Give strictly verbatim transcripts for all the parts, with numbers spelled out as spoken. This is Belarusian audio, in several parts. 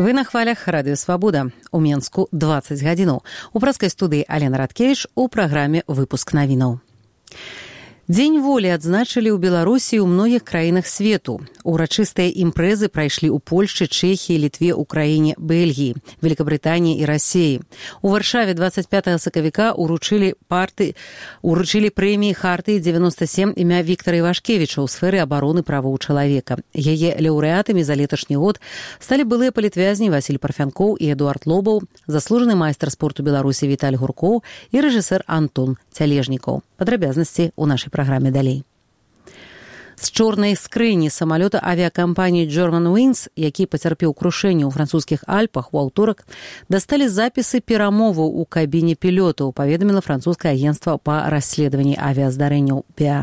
Вы на хвалях Радыё Свабода. У Менску дваццаць гадзінаў. У праскай студыі Алена Радкевіч у праграме «Выпуск навінаў». Дзень волі адзначылі ў Беларусі ў многіх краінах свету. Урачыстыя імпрэзы прайшлі ў Польшчы, Чэхіі, Літве, Украіне, Бельгіі, Великабрытаніі і Расіі. У Варшаве дваццаць пятага сакавіка уручылі парты, уручылі прэміі Хартыі дзевяноста сем імя Віктара Івашкевіча ў сферы абароны правоў чалавека. Яе лаўрэатамі за леташні год сталі былыя палітвязні Васіль Парфянкоў і Эдуард Лобаў, заслужаны майстар спорту Беларусі Віталь Гуркоў і рэжысэр Антон Цялежнікаў. Падрабязнасці ў нашай праграме далей. З чорнай скрыні самалёта авіякампаніі Germanwings, які пацярпеў крушэнне ў французскіх Альпах у аўторак, дасталі запісы перамоваў у кабіне пілётаў, паведаміла французскае агенцтва па расследаванні авіяздарэнняў пі а.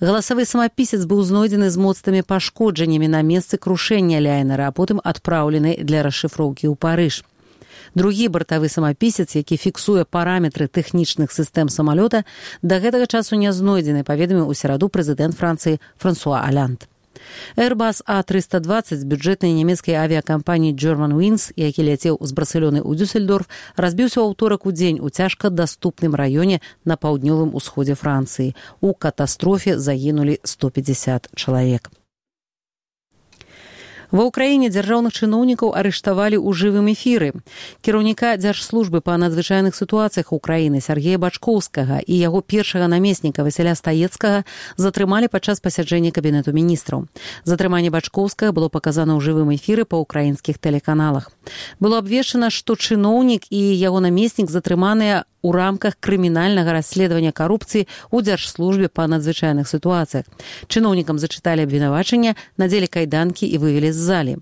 Галасавы самапісец быў знойдзены з моцнымі пашкоджаннямі на месцы крушэння лайнера, а потым адпраўлены для расшыфроўкі ў Парыж. Другі бартавы самапісец, які фіксуе параметры тэхнічных сістэм самалёта, да гэтага часу не знойдзены, паведаміў у сераду прэзідэнт Францыі Франсуа Аланд. Airbus а трыста дваццаць бюджэтнай нямецкай авіякампаніі Germanwings, які ляцеў з Барселоны ў Дюссельдорф, разбіўся ў аўторак у дзень у цяжка даступным раёне на паўднёвым усходзе Францыі. У катастрофе загінулі сто пятьдесят чалавек. Ва ўкраіне дзяржаўных чыноўнікаў арыштавалі ў жывым эфіры. Кіраўніка дзяржслужбы па надзвычайных сітуацыях Украіны Сергея Бачкоўскага і яго першага намесніка Васіля Стаецкага затрымалі падчас пасяджэння кабінету міністраў. Затрыманне Бачкоўскага было паказана ў жывым эфіры па ўкраінскіх тэлеканалах. Было абвешчана, што чыноўнік і яго намеснік затрыманыя у рамках крымінальнага расследавання карупцыі ў дзяржслужбе па надзвычайных сітуацыях. Чыноўнікам зачыталі абвінавачання, надзелі кайданкі і вывелі з залі.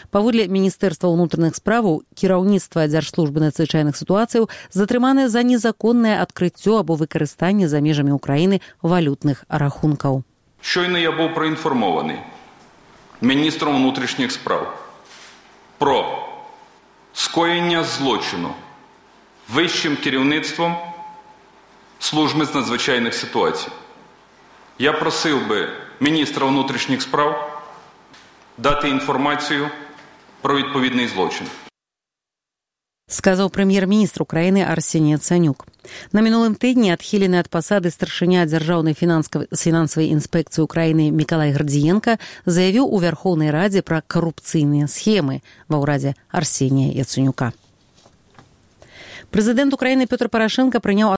Паводле Міністэрства ўнутраных справаў, кіраўніцтва дзяржслужбы надзвычайных сітуацыяў затрыманае за незаконнае адкрыццё або выкарыстанне за межамі Украіны валютных рахункаў. Щойно я був проінформований міністром внутрішніх справ про скоєння злочину вищим керівництвом служби з надзвичайних ситуацій. Я просив би міністра внутрішніх справ дати інформацію про відповідний злочин. Сказаў прэм'ер-міністр Украіны Арсеній Яценюк. На мінулым тыдні адхілены ад пасады старшыня дзяржаўнай фінансавай інспекцыі Украіны Мікалай Гардзіенка заявіў у Вярхоўнай Радзе пра карупцыйныя схемы ва ўрадзе Арсенія Яценюка. Прэзідэнт Украіны Пётр Парашэнка прыняў